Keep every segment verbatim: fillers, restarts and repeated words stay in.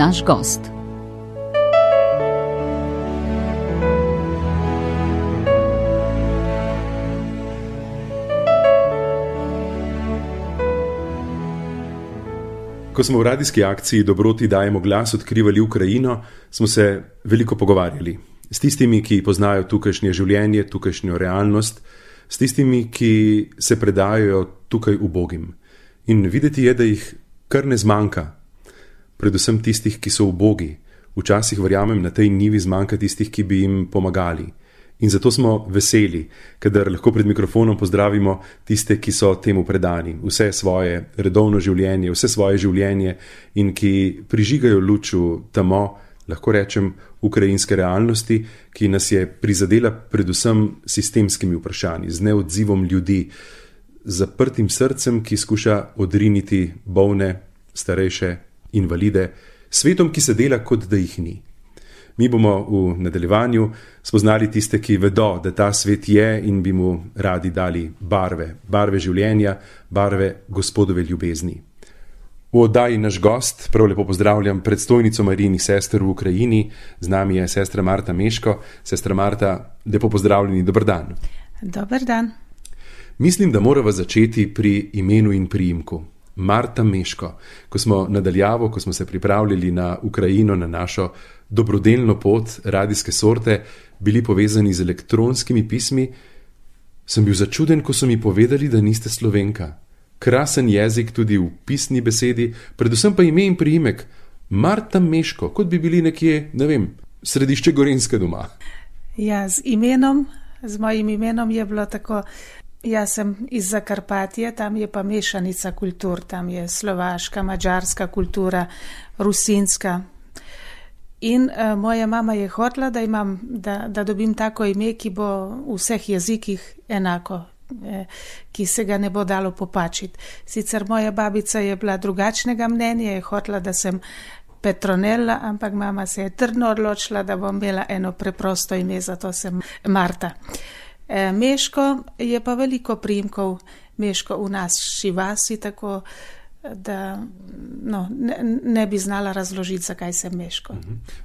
naš gost. Ko smo v radijski akciji Dobroti dajemo glas odkrivali Ukrajino, smo se veliko pogovarjali. S tistimi, ki poznajo tukajšnje življenje, tukajšnjo realnost, s tistimi, ki se predajajo tukaj ubogim. In videti je, da jih kar ne zmanjka. Predvsem tistih, ki so ubogi. Včasih verjamem, na tej njivi zmanjka tistih, ki bi jim pomagali. In zato smo veseli, kadar lahko pred mikrofonom pozdravimo tiste, ki so temu predani, vse svoje redovno življenje, vse svoje življenje in ki prižigajo luč v temo, lahko rečem, ukrajinske realnosti, ki nas je prizadela predvsem sistemskimi vprašanji, z neodzivom ljudi, z zaprtim srcem, ki skuša odriniti bolne, starejše, invalide, svetom, ki se dela, kot da jih ni. Mi bomo v nadaljevanju spoznali tiste, ki vedo, da ta svet je in bi mu radi dali barve, barve življenja, barve Gospodove ljubezni. V oddaji naš gost, prav lepo pozdravljam predstojnico Marijinih sester v Ukrajini, z nami je sestra Marta Meško. Sestra Marta, lepo pozdravljeni, dober dan. Dober dan. Mislim, da morava začeti pri imenu in priimku. Marta Meško. Ko smo nadaljavo, ko smo se pripravljali na Ukrajino, na našo dobrodelno pot radijske sorte, bili povezani z elektronskimi pismi, sem bil začuden, ko so mi povedali, da niste Slovenka. Krasen jezik tudi v pisni besedi, predvsem pa ime in priimek. Marta Meško, kot bi bili nekje, ne vem, središče Gorenjske doma. Ja, z imenom, z mojim imenom je bilo tako. Jaz sem iz Zakarpatije, tam je pa mešanica kultur, tam je slovaška, mađarska kultura, rusinska. In uh, moja mama je hotela, da, imam, da, da dobim tako ime, ki bo v vseh jezikih enako, eh, ki se ga ne bo dalo popačiti. Sicer moja babica je bila drugačnega mnenja, je hotela, da sem Petronella, ampak mama se je trdno odločila, da bom imela eno preprosto ime, zato sem Marta. Meško je pa veliko priimkov, Meško v naši vasi, tako da no, ne, ne bi znala razložiti, zakaj sem Meško.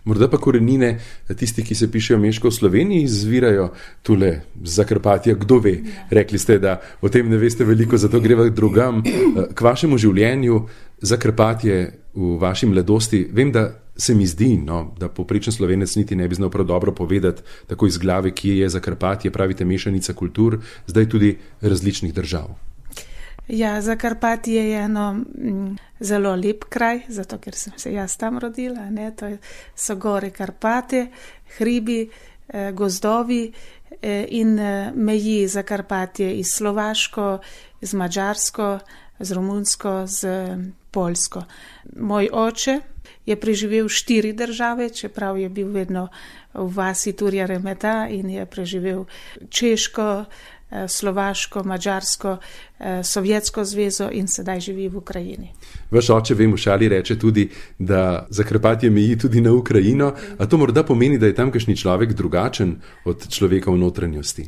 Morda pa korenine, tisti, ki se pišejo Meško v Sloveniji, izvirajo tule z Zakarpatja, kdo ve. Ja. Rekli ste, da o tem ne veste veliko, zato greva drugam. K vašemu življenju Zakarpatje v vaši mladosti, vem, da se mi zdi, no, da povprečen Slovenec niti ne bi znal prav dobro povedati tako iz glave, kje je Zakarpatje, pravite mešanica kultur, zdaj tudi različnih držav. Ja, Zakarpatje je eno m, zelo lep kraj, zato ker sem se jaz tam rodila, ne, to so gore Karpate, hribi, eh, gozdovi eh, in eh, meji Zakarpatje iz Slovaško, z Mađarsko, z Romunsko, z Poljsko. Moj oče je preživel štiri države, čeprav je bil vedno v vasi Turja Remeta in je preživel Češko, Slovaško, Mađarsko, Sovjetsko zvezo in sedaj živi v Ukrajini. Vaš oče, vem, v šali reče tudi, da Zakarpatje meji tudi na Ukrajino, a to morda pomeni, da je tamkajšnji človek drugačen od človeka v notranjosti?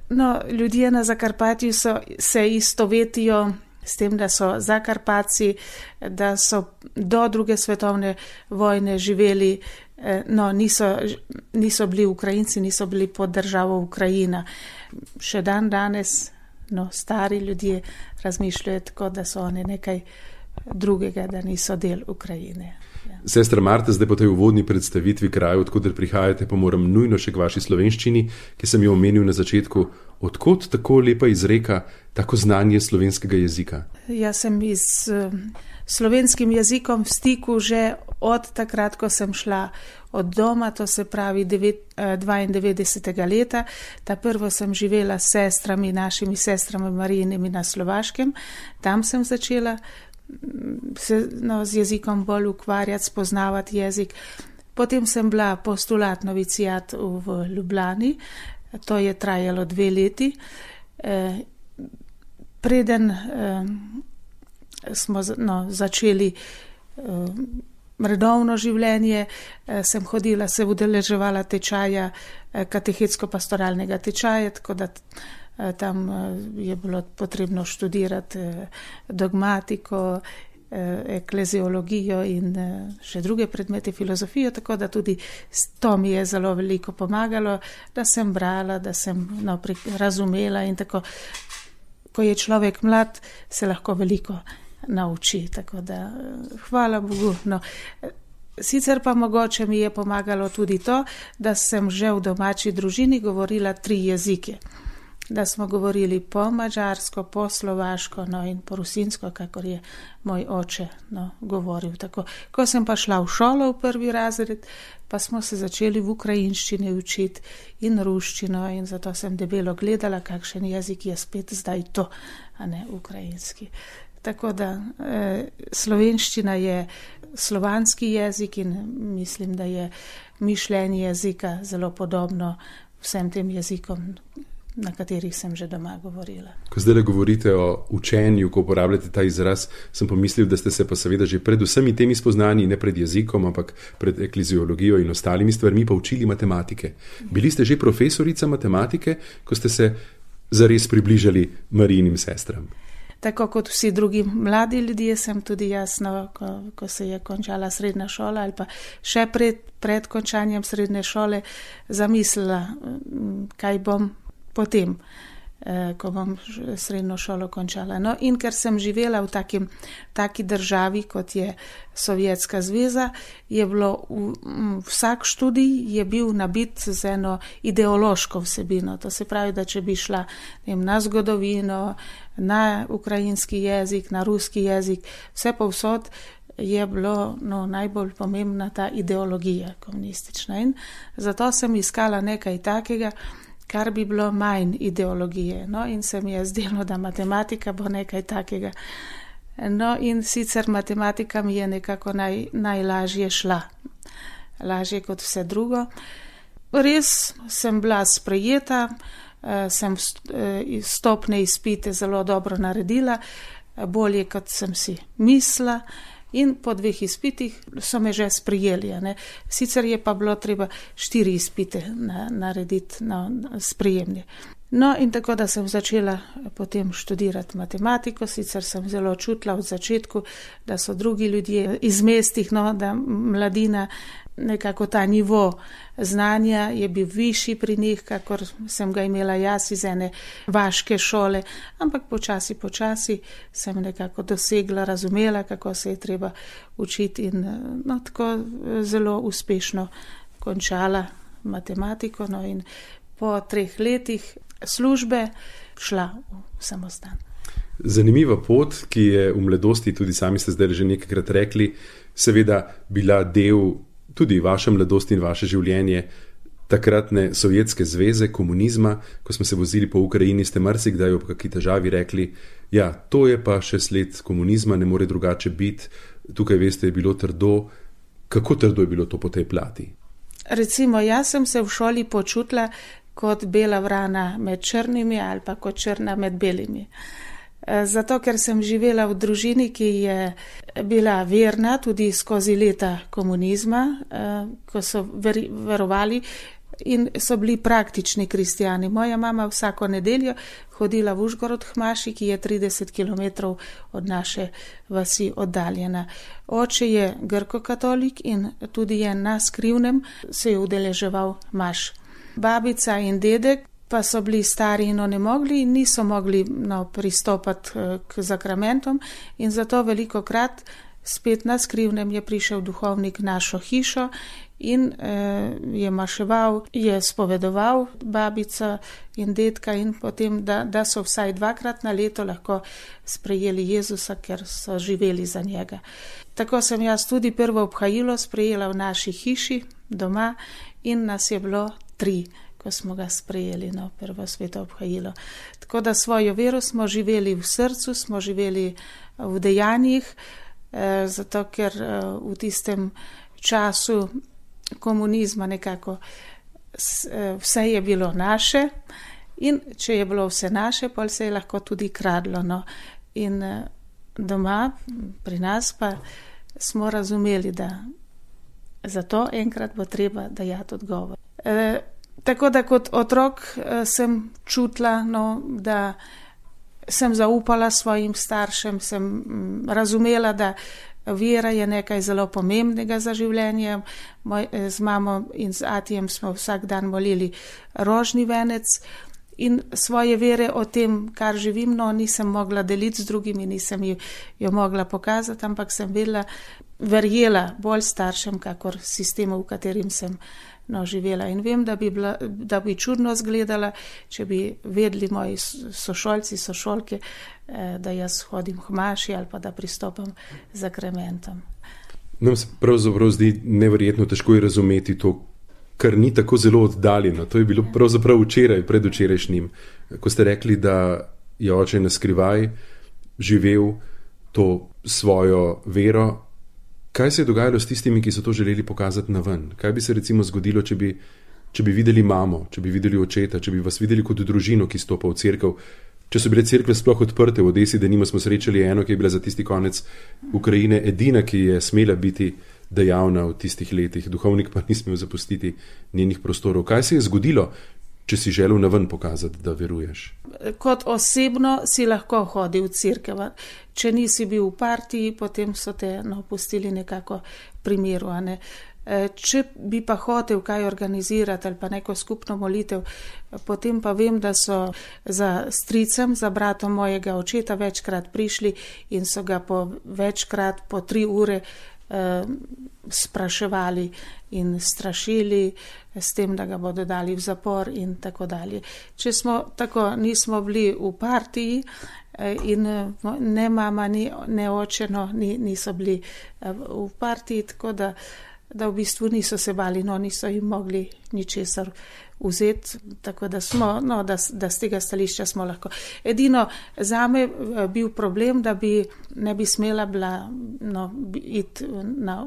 No, ljudje na Zakarpatju so, se istovetijo s tem, da so Zakarpatci, da so do druge svetovne vojne živeli, no, niso, niso bili Ukrajinci, niso bili pod državo Ukrajina. Še dan danes, no, stari ljudje razmišljajo tako, da so oni nekaj drugega, da niso del Ukrajine. Ja. Sestra Marta, zdaj po tej uvodni predstavitvi kraja, odkoder prihajate, pa moram nujno še k vaši slovenščini, ki sem jo omenil na začetku. Odkot tako lepa izreka, tako znanje slovenskega jezika? Jaz sem iz slovenskim jezikom v stiku že od takrat, ko sem šla od doma, to se pravi dvaindevetdesetega leta. Ta prvo sem živela s sestrami, našimi sestrami Marijinimi na Slovaškem. Tam sem začela se no, z jezikom bolj ukvarjati, spoznavati jezik. Potem sem bila postulat novicijat v Ljubljani. To je trajalo dve leti. Eh, preden eh, smo no, začeli eh, redovno življenje, eh, sem hodila, se udeleževala tečaja, eh, katehetsko-pastoralnega tečaja, tako da eh, tam eh, je bilo potrebno študirati eh, dogmatiko, ekleziologijo in še druge predmete, filozofijo, tako da tudi to mi je zelo veliko pomagalo, da sem brala, da sem no, razumela in tako. Ko je človek mlad, se lahko veliko nauči, tako da hvala Bogu. No, sicer pa mogoče mi je pomagalo tudi to, da sem že v domači družini govorila tri jezike. Da smo govorili po mađarsko, po slovaško no, in po rusinsko, kakor je moj oče no, govoril. Tako. Ko sem pa šla v šolo v prvi razred, pa smo se začeli v ukrajinščini učiti in ruščino in zato sem debelo gledala, kakšen jezik je spet zdaj to, a ne ukrajinski. Tako da eh, slovenščina je slovanski jezik in mislim, da je mišljenje jezika zelo podobno vsem tem jezikom, na katerih sem že doma govorila. Ko zdaj govorite o učenju, ko uporabljate ta izraz, sem pomislil, da ste se pa seveda že pred vsemi temi spoznanji, ne pred jezikom, ampak pred ekleziologijo in ostalimi stvarmi pa učili matematike. Bili ste že profesorica matematike, ko ste se zares približali Marijinim sestram? Tako kot vsi drugi mladi ljudje sem tudi jasno, ko, ko se je končala srednja šola ali pa še pred, pred končanjem srednje šole zamislila, kaj bom potem, ko bom srednjo šolo končala. No, in ker sem živela v takim, taki državi, kot je Sovjetska zveza, je bilo v, vsak študij je bil nabit z eno ideološko vsebino. To se pravi, da če bi šla vem, na zgodovino, na ukrajinski jezik, na ruski jezik, vse povsod je bilo no, najbolj pomembna ta ideologija komunistična. In zato sem iskala nekaj takega, kar bi bilo manj ideologije. No, in se mi je zdelo, da matematika bo nekaj takega. No, in sicer matematika mi je nekako naj, najlažje šla. Lažje kot vse drugo. Res sem bila sprejeta, sem stopne izpite zelo dobro naredila, bolje kot sem si mislila. In po dveh izpitih so me že sprijeli. Ne. Sicer je pa bilo treba štiri izpite na, narediti na sprijemne. No in tako, da sem začela potem študirati matematiko, sicer sem zelo čutila v začetku, da so drugi ljudje iz mestih, no, da mladina, nekako ta nivo znanja je bil višji pri njih, kakor sem ga imela jaz iz ene vaške šole, ampak počasi, počasi sem nekako dosegla, razumela, kako se je treba učiti in no, tako zelo uspešno končala matematiko, no in po treh letih službe šla v samostan. Zanimiva pot, ki je v mladosti, tudi sami ste zdaj že nekajkrat rekli, seveda bila del tudi vaše mladosti in vaše življenje takratne Sovjetske zveze, komunizma. Ko smo se vozili po Ukrajini, ste marsikdaj ob kakšni težavi rekli, ja, to je pa še sled komunizma, ne more drugače biti. Tukaj, veste, je bilo trdo. Kako trdo je bilo to po tej plati? Recimo, jaz sem se v šoli počutila kot bela vrana med črnimi ali pa kot črna med belimi. Zato, ker sem živela v družini, ki je bila verna tudi skozi leta komunizma, ko so ver, verovali in so bili praktični kristijani. Moja mama vsako nedeljo hodila v Užgorod k maši, ki je trideset kilometrov od naše vasi oddaljena. Oče je grko-katolik in tudi je na Skrivnem se je udeleževal maš. Babica in dedek pa so bili stari in onemogli in niso mogli no, pristopati k zakramentom in zato veliko krat spet na Skrivnem je prišel duhovnik našo hišo in eh, je maševal, je spovedoval babica in dedka in potem, da, da so vsaj dvakrat na leto lahko sprejeli Jezusa, ker so živeli za njega. Tako sem jaz tudi prvo obhajilo sprejela v naši hiši doma in nas je bilo tri, ko smo ga sprejeli, no, prvo sveto obhajilo. Tako da svojo vero smo živeli v srcu, smo živeli v dejanjih, eh, zato ker eh, v tistem času komunizma nekako eh, vse je bilo naše in če je bilo vse naše, pol se je lahko tudi kradlo. No. In eh, doma, pri nas pa smo razumeli, da zato enkrat bo treba dajati odgovor. Eh, Tako da kot otrok sem čutila, no, da sem zaupala svojim staršem, sem razumela, da vera je nekaj zelo pomembnega za življenje. Moj, z mamo in z atijem smo vsak dan molili rožni venec in svoje vere o tem, kar živim, no, nisem mogla deliti z drugimi, nisem jo mogla pokazati, ampak sem vedela, verjela bolj staršem, kakor sistemu, v katerim sem no, živela. In vem, da bi, bila, da bi čudno zgledala, če bi vedeli moji sošolci, sošolke, da jaz hodim k maši ali pa da pristopam z zakramentom. Nam se pravzaprav zdi neverjetno težko je razumeti to, kar ni tako zelo oddaljeno. To je bilo pravzaprav včeraj, predvčerajšnjim, ko ste rekli, da je oče na skrivaj živel to svojo vero. Kaj se je dogajalo s tistimi, ki so to želeli pokazati na ven? Kaj bi se recimo zgodilo, če bi, če bi videli mamo, če bi videli očeta, če bi vas videli kot družino, ki stopa v cerkev? Če so bile cerkve sploh odprte, v Odesi, da nimo smo srečali eno, ki je bila za tisti konec Ukrajine edina, ki je smela biti dejavna v tistih letih. Duhovnik pa ni smel zapustiti njenih prostorov. Kaj se je zgodilo, če si želel na ven pokazati, da veruješ? Kot osebno si lahko hodil v cerkev. Če nisi bil v partiji, potem so te no, pustili nekako pri miru. Ne? Če bi pa hotel kaj organizirati ali pa neko skupno molitev, potem pa vem, da so za stricem, za bratom mojega očeta večkrat prišli in so ga po večkrat, po tri ure eh, spraševali in strašili s tem, da ga bodo dali v zapor in tako dalje. Če smo tako, nismo bili v partiji in ne mama, ni, ne oče, no, niso bili v partiji, tako da da v bistvu niso se bali, no niso jim mogli ničesar vzeti, tako da smo, no, da, da z tega stališča smo lahko. Edino zame bil problem, da bi ne bi smela bila no, iti na,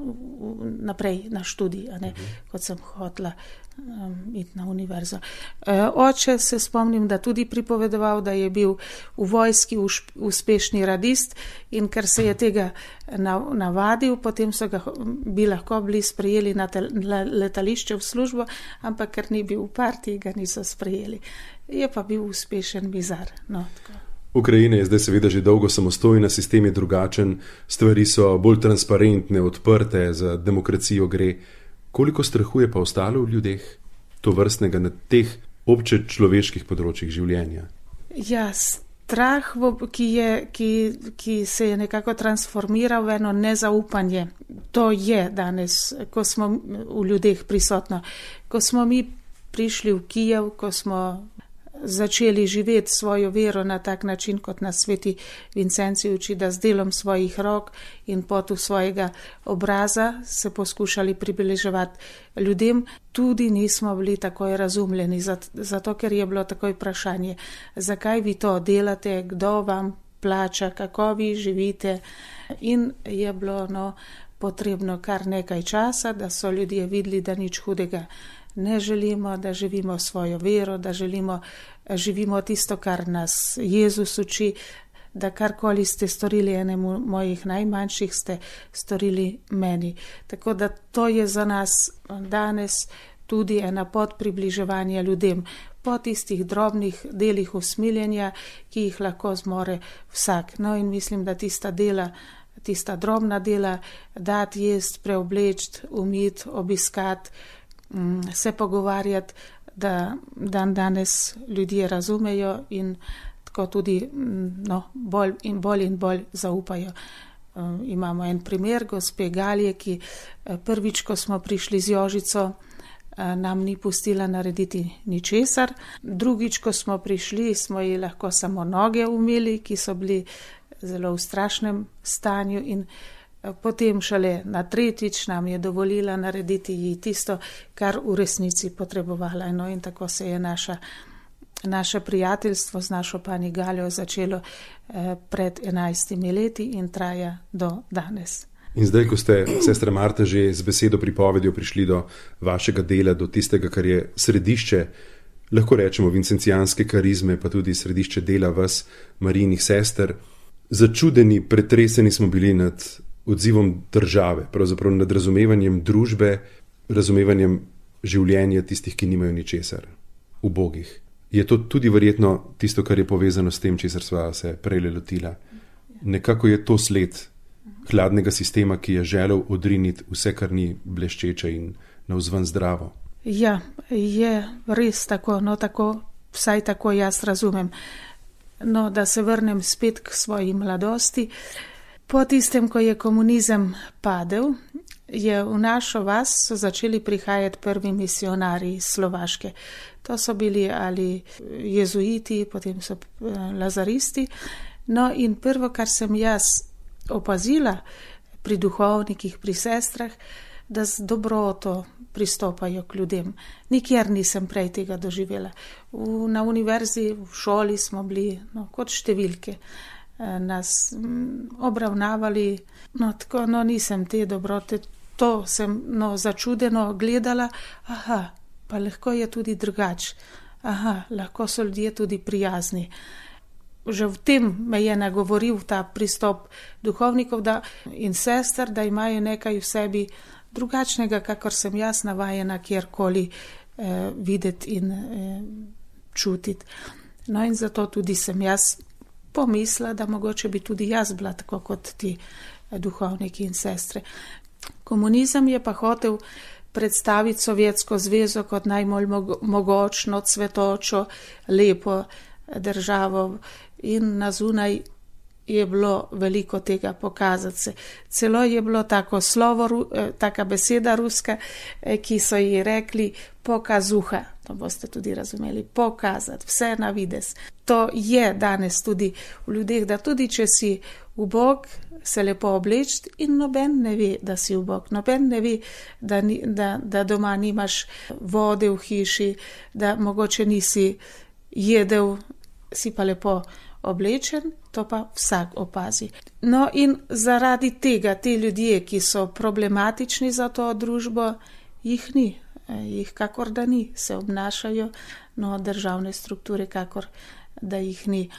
naprej na študij, a ne, kot sem hotela um, iti na univerzo. E, oče se spomnim, da tudi pripovedoval, da je bil v vojski uspešni radist in ker se je tega navadil, potem so ga bi lahko bili sprejeli na letališče v službo, ampak ker ni bil v partiji, ga niso sprejeli. Je pa bil uspešen bizar. No, Ukrajina je zdaj seveda že dolgo samostojna, sistem je drugačen, stvari so bolj transparentne, odprte, za demokracijo gre. Koliko strahu je pa ostalo v ljudeh to vrstnega na teh obče človeških področjih življenja? Ja, strah, ki, je, ki, ki se je nekako transformiral v eno nezaupanje. To je danes, ko smo v ljudeh prisotno. Ko smo mi prišli v Kijev, ko smo začeli živeti svojo vero na tak način, kot nas sveti Vincenci uči, da z delom svojih rok in potu svojega obraza se poskušali približevati ljudem, tudi nismo bili takoj razumljeni, zato ker je bilo takoj vprašanje, zakaj vi to delate, kdo vam plača, kako vi živite, in je bilo no, potrebno kar nekaj časa, da so ljudje videli, da nič hudega ne želimo, da živimo svojo vero, da želimo, živimo tisto, kar nas Jezus uči, da karkoli ste storili enemu mojih najmanjših, ste storili meni. Tako da to je za nas danes tudi ena pot približevanja ljudem, po tistih drobnih delih usmiljenja, ki jih lahko zmore vsak. No in mislim, da tista dela, tista drobna dela, dati jesti, preoblečiti, umiti, obiskati, se pogovarjati, da dan danes ljudje razumejo in tako tudi no, bolj in bolj in bolj zaupajo. Um, imamo en primer gospe Galije, ki prvič, ko smo prišli z Jožico, nam ni pustila narediti ničesar. Drugič, ko smo prišli, smo ji lahko samo noge umili, ki so bili zelo v strašnem stanju, in potem šele na tretjič nam je dovolila narediti ji tisto, kar v resnici potrebovala. No, in tako se je naša, naše prijateljstvo z našo pani Galjo začelo eh, pred enajstimi leti in traja do danes. In zdaj, ko ste, sestra Marta, že z besedo pripovedjo prišli do vašega dela, do tistega, kar je središče, lahko rečemo, vincencijanske karizme, pa tudi središče dela vas, Marijinih sester, začudeni, pretreseni smo bili nad odzivom države, pravzaprav nad razumevanjem družbe, razumevanjem življenja tistih, ki nimajo ničesar, ubogih. je to tudi verjetno tisto, kar je povezano s tem, česar sva se prej lotila. Nekako je to sled hladnega sistema, ki je želel odriniti vse, kar ni bleščeče in navzven zdravo. Ja, je res tako, no tako, vsaj tako jaz razumem. No, da se vrnem spet k svoji mladosti. Po tistem, ko je komunizem padel, je v našo vas so začeli prihajati prvi misionarji iz Slovaške. To so bili ali jezuiti, potem so lazaristi. No in prvo, kar sem jaz opazila pri duhovnikih, pri sestrah, da z dobroto pristopajo k ljudem. Nikjer nisem prej tega doživela. V, na univerzi, v šoli smo bili no, kot številke. Nas m, obravnavali, no tako, no nisem te dobrote, to sem no, začudeno gledala, aha, pa lahko je tudi drugač, aha, lahko so ljudje tudi prijazni. Že v tem me je nagovoril ta pristop duhovnikov da, in sester, da imajo nekaj v sebi drugačnega, kakor sem jaz navajena kjerkoli eh, videti in eh, čutiti. No in zato tudi sem jaz pomisla, da mogoče bi tudi jaz bila tako kot ti duhovniki in sestre. Komunizem je pa hotel predstaviti Sovjetsko zvezo kot najbolj mogočno, cvetočo, lepo državo in na zunaj je bilo veliko tega pokazati se. Celo je bilo tako slovo, taka beseda ruska, ki so ji rekli pokazuha. To boste tudi razumeli. Pokazati, vse na vides. To je danes tudi v ljudeh, da tudi če si ubog, se lepo obleči in noben ne ve, da si ubog. Noben ne ve, da, ni, da, da doma nimaš vode v hiši, da mogoče nisi jedel, si pa lepo oblečen, to pa vsak opazi. No in zaradi tega te ljudje, ki so problematični za to družbo, jih ni. Jih kakor da ni, se obnašajo, no državne strukture kakor da jih ni.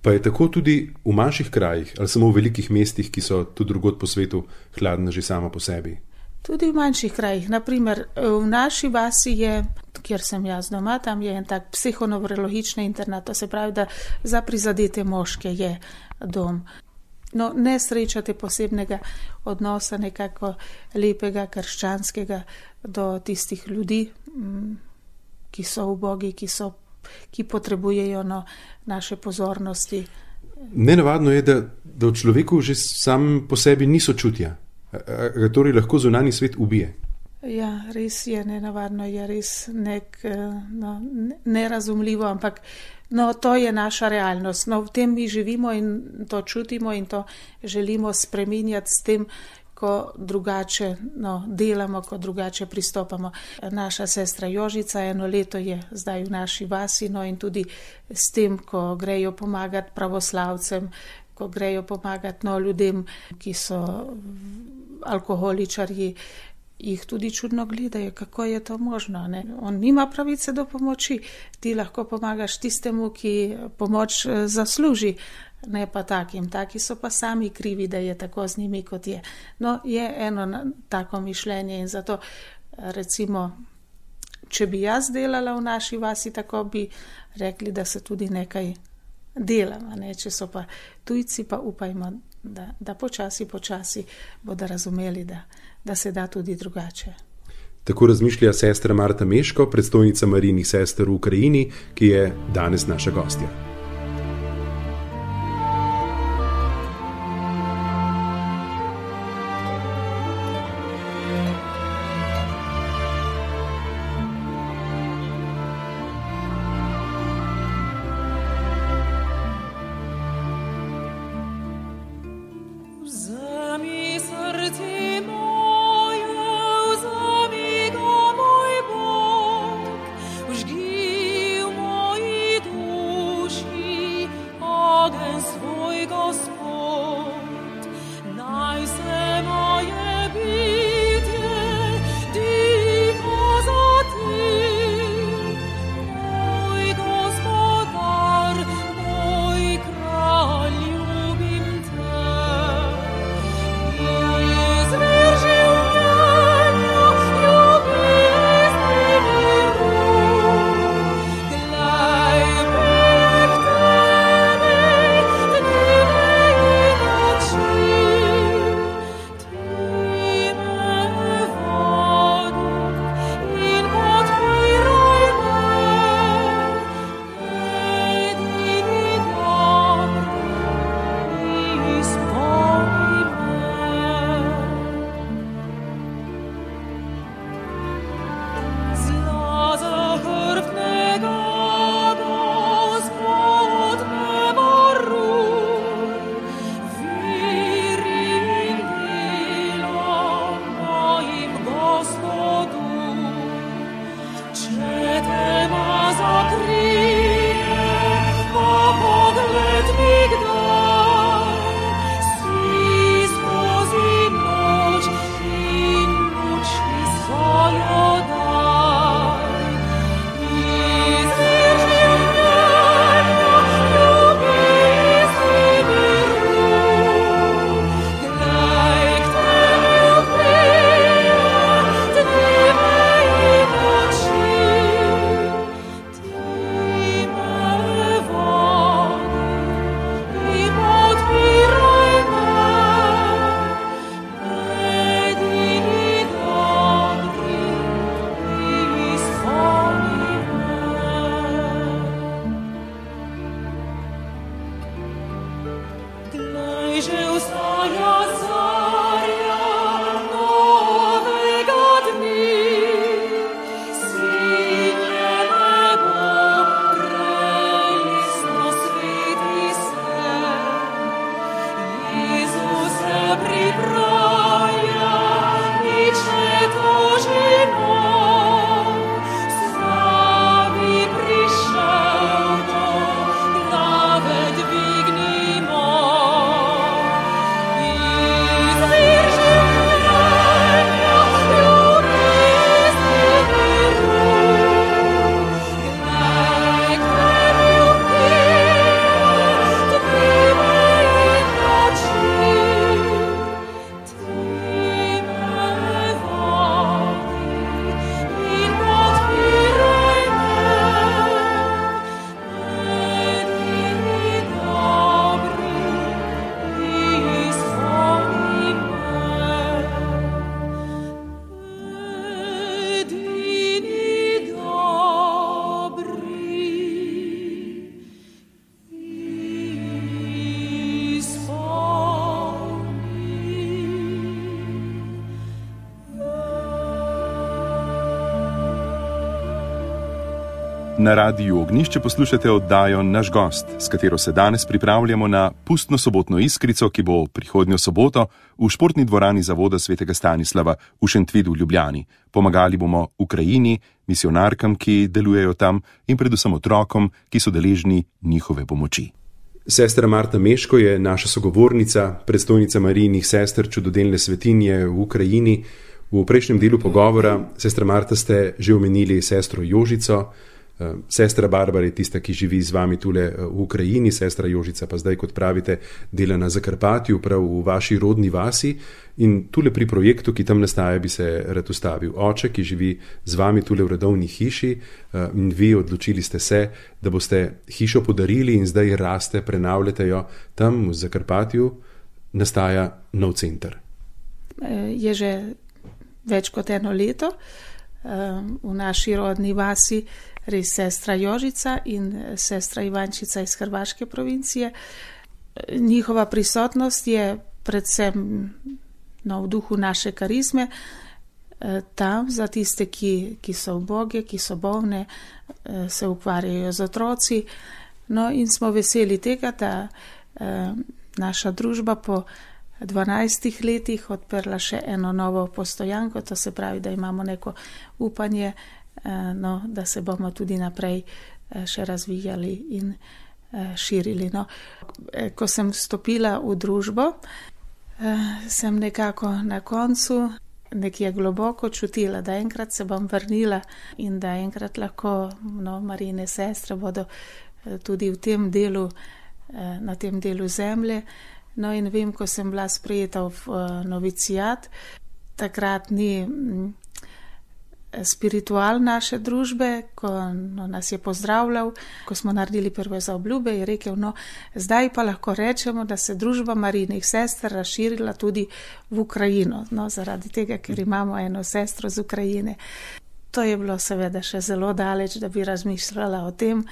Pa je tako tudi v manjših krajih ali samo v velikih mestih, ki so tudi drugod po svetu hladna že sama po sebi? Tudi v manjših krajih. Naprimer, v naši vasi je, kjer sem jaz doma, tam je en tak psihonevrologični internat, to se pravi, da za prizadete moške je dom. No, ne srečate posebnega odnosa nekako lepega, krščanskega do tistih ljudi, ki so ubogi, ki, so, ki potrebujejo no, naše pozornosti. Nenavadno je, da, da v človeku že sam po sebi ni sočutja, ga torej lahko zunanji svet ubije. Ja, res je nenavadno, je res nek, no, nerazumljivo, ampak no, to je naša realnost. No, v tem mi živimo in to čutimo in to želimo spreminjati s tem, ko drugače no, delamo, ko drugače pristopamo. Naša sestra Jožica eno leto je zdaj v naši vasi, no in tudi s tem, ko grejo pomagati pravoslavcem, ko grejo pomagati no, ljudem, ki so alkoholičarji, jih tudi čudno gledajo, kako je to možno. Ne? On nima pravice do pomoči. Ti lahko pomagaš tistemu, ki pomoč zasluži, ne pa takim. Taki so pa sami krivi, da je tako z njimi, kot je. No, je eno tako mišljenje in zato recimo, če bi jaz delala v naši vasi, tako bi rekli, da se tudi nekaj delamo. Ne? Če so pa tujci, pa upajmo, da, da počasi, počasi bodo razumeli, da da se da tudi drugače. Tako razmišlja sestra Marta Meško, predstojnica Marijinih sester v Ukrajini, ki je danes naša gostja. Duši Na Radiu Ognjišče poslušate oddajo Naš gost, s katero se danes pripravljamo na pustno sobotno iskrico, ki bo prihodnjo soboto v športni dvorani Zavoda svetega Stanislava v Šentvidu v Ljubljani. Pomagali bomo Ukrajini, misionarkam, ki delujejo tam, in predvsem otrokom, ki so deležni njihove pomoči. Sestra Marta Meško je naša sogovornica, predstojnica Marijinih sester čudodelne svetinje v Ukrajini. V prejšnjem delu pogovora, sestra Marta, ste že omenili sestro Jožico. Sestra Barbara je tista, ki živi z vami tule v Ukrajini, sestra Jožica pa zdaj, kot pravite, dela na Zakarpatju, prav v vaši rodni vasi. In tule pri projektu, ki tam nastaja, bi se rad ustavil. Oče, ki živi z vami tule v redovni hiši, in vi odločili ste se, da boste hišo podarili in zdaj raste, prenavljate jo. Tam v Zakarpatju nastaja nov center. Je že več kot eno leto v naši rodni vasi res sestra Jožica in sestra Ivančica iz Hrvaške provincije. Njihova prisotnost je predvsem no, v duhu naše karizme, tam za tiste, ki, ki so uboge, ki so bolne, se ukvarjajo z otroci. No, in smo veseli tega, da naša družba po dvanajstih letih odprla še eno novo postojanko, to se pravi, da imamo neko upanje, no, da se bomo tudi naprej še razvijali in širili. No. Ko sem vstopila v družbo, sem nekako na koncu nekje globoko čutila, da enkrat se bom vrnila in da enkrat lahko no, Marijine sestre bodo tudi v tem delu, na tem delu zemlje. No in vem, ko sem bila sprejeta v novicijat, takrat ni spiritual naše družbe, ko no, nas je pozdravljal, ko smo naredili prve zaobljube, je rekel, no, zdaj pa lahko rečemo, da se družba Marijinih sester razširila tudi v Ukrajino, no, zaradi tega, ker imamo eno sestro z Ukrajine. To je bilo seveda še zelo daleč, da bi razmišljala o tem,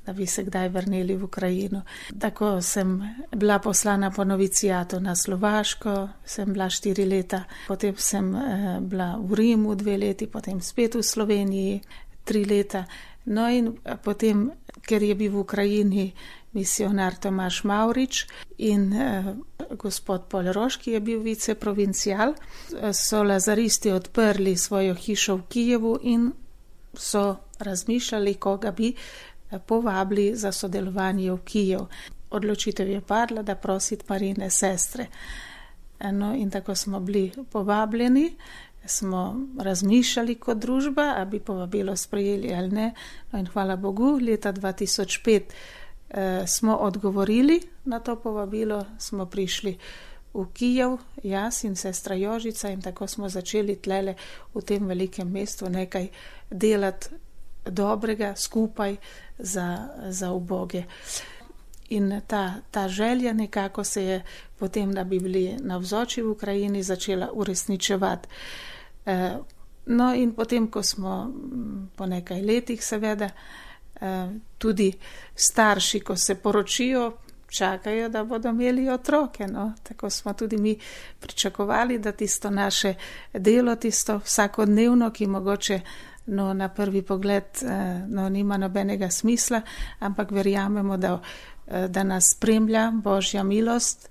da bi se kdaj vrnili v Ukrajino. Tako sem bila poslana po novicijatu na Slovaško, sem bila štiri leta, potem sem eh, bila v Rimu dve leti, potem spet v Sloveniji tri leta. No in potem, ker je bil v Ukrajini misionar Tomaž Mavrič in eh, gospod Polroš, ki je bil viceprovincial, so lazaristi odprli svojo hišo v Kijevu in so razmišljali, koga bi povabili za sodelovanje v Kijev. Odločitev je padla, da prositi Marijine sestre. No, in tako smo bili povabljeni, smo razmišljali kot družba, a bi povabilo sprejeli ali ne. No, in hvala Bogu, leta dva tisoč pet eh, smo odgovorili na to povabilo, smo prišli v Kijev, jaz in sestra Jožica, in tako smo začeli tlele v tem velikem mestu nekaj delati dobrega skupaj za, za uboge. In ta, ta želja nekako se je potem, da bi bili navzoči v Ukrajini, začela uresničevati. E, no in potem, ko smo po nekaj letih seveda, e, tudi starši, ko se poročijo, čakajo, da bodo imeli otroke. No? Tako smo tudi mi pričakovali, da tisto naše delo, tisto vsakodnevno, ki mogoče no, na prvi pogled no, nima nobenega smisla, ampak verjamemo, da, da nas spremlja Božja milost,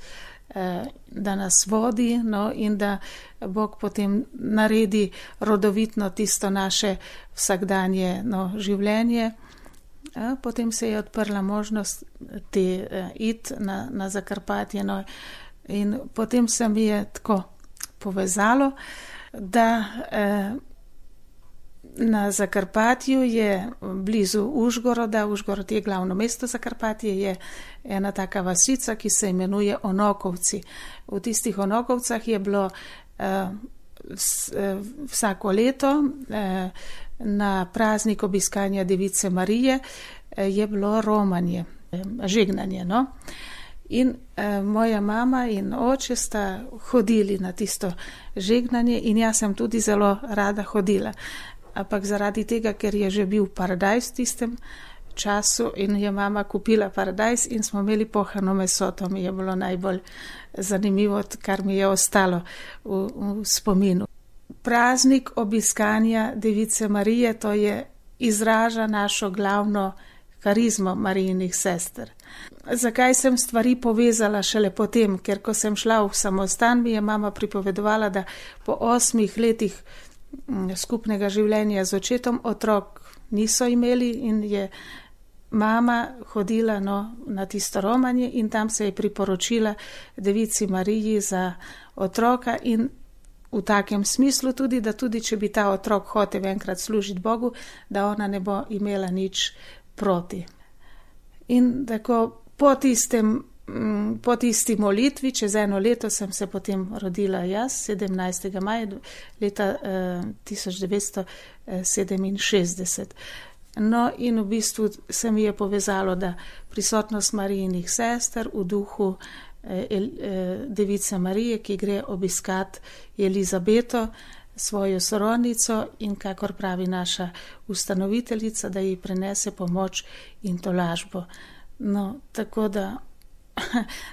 da nas vodi no, in da Bog potem naredi rodovitno tisto naše vsakdanje no, življenje. Potem se je odprla možnost te iti na, na Zakarpatje no, in potem se mi je tako povezalo, da eh, na Zakarpatju je blizu Užgoroda, Užgorod je glavno mesto Zakarpatje, je ena taka vasica, ki se imenuje Onokovci. V tistih Onokovcah je bilo eh, s, eh, vsako leto eh, na praznik obiskanja Device Marije eh, je bilo romanje, eh, žegnanje. No? In eh, moja mama in oče sta hodili na tisto žegnanje in jaz sem tudi zelo rada hodila. Ampak zaradi tega, ker je že bil paradajz v tistem času in je mama kupila paradajz in smo imeli pohano meso, to mi je bilo najbolj zanimivo, kar mi je ostalo v, v spominu. Praznik obiskanja Device Marije, to je izraža našo glavno karizmo Marijinih sester. Zakaj sem stvari povezala šele potem? Ker ko sem šla v samostan, mi je mama pripovedovala, da po osmih letih skupnega življenja z očetom otrok niso imeli in je mama hodila no, na tisto romanje in tam se je priporočila Devici Mariji za otroka in v takem smislu tudi, da tudi če bi ta otrok hotel enkrat služiti Bogu, da ona ne bo imela nič proti. In tako po tistem Po tisti molitvi, čez eno leto sem se potem rodila jaz, sedemnajstega maja leta eh, tisoč devetsto sedeminšestdeset. No in v bistvu se mi je povezalo, da prisotnost Marijinih sester v duhu eh, eh, Device Marije, ki gre obiskat Elizabeto, svojo sorodnico in kakor pravi naša ustanoviteljica, da ji prenese pomoč in tolažbo. No, tako da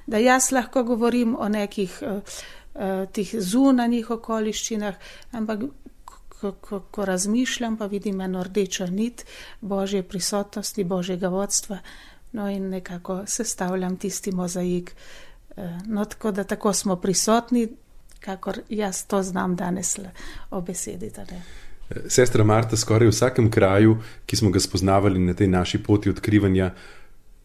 da jaz lahko govorim o nekih uh, uh, tih zunanjih okoliščinah, ampak ko, ko, ko razmišljam, pa vidim eno rdečo nit Božje prisotnosti, Božjega vodstva, no in nekako sestavljam tisti mozaik. Uh, no, tako da tako smo prisotni, kakor jaz to znam danes obesediti. Sestra Marta, skoraj v vsakem kraju, ki smo ga spoznavali na tej naši poti odkrivanja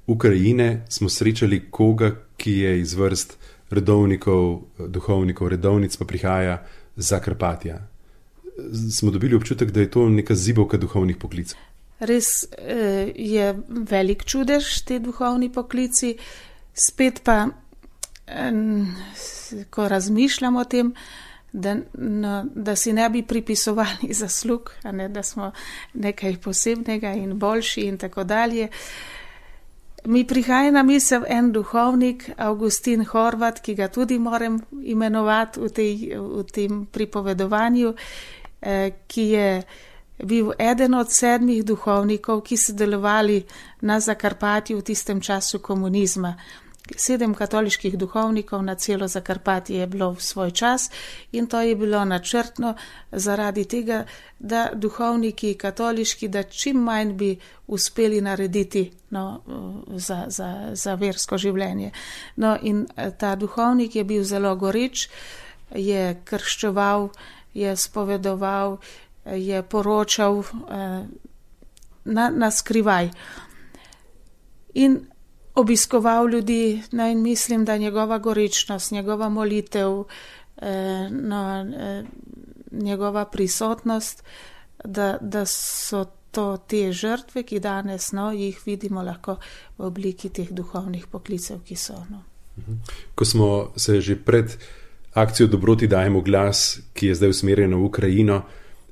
Ukrajine, smo srečali koga, ki je iz vrst redovnikov, duhovnikov, redovnic, pa prihaja z Zakarpatja. Smo dobili občutek, da je to neka zibovka duhovnih poklicov. Res je velik čudež te duhovni poklici, spet pa, ko razmišljam o tem, da, no, da si ne bi pripisovali zaslug, a ne, da smo nekaj posebnega in boljši in tako dalje. Mi prihaja na misel en duhovnik, Augustin Horvat, ki ga tudi moram imenovati v, tej, v tem pripovedovanju, eh, ki je bil eden od sedmih duhovnikov, ki so delovali na Zakarpatju v tistem času komunizma. Sedem katoliških duhovnikov na celo Zakarpatje je bilo v svoj čas in to je bilo načrtno zaradi tega, da duhovniki katoliški, da čim manj bi uspeli narediti no, za, za, za versko življenje. No in ta duhovnik je bil zelo goreč, je krščeval, je spovedoval, je poročal na, na skrivaj in obiskoval ljudi, no, in mislim, da njegova goričnost, njegova molitev, no, njegova prisotnost, da, da so to te žrtve, ki danes, no, jih vidimo lahko v obliki teh duhovnih poklicev, ki so. No. Ko smo se že pred akcijo Dobroti dajemo glas, ki je zdaj usmerjena v Ukrajino,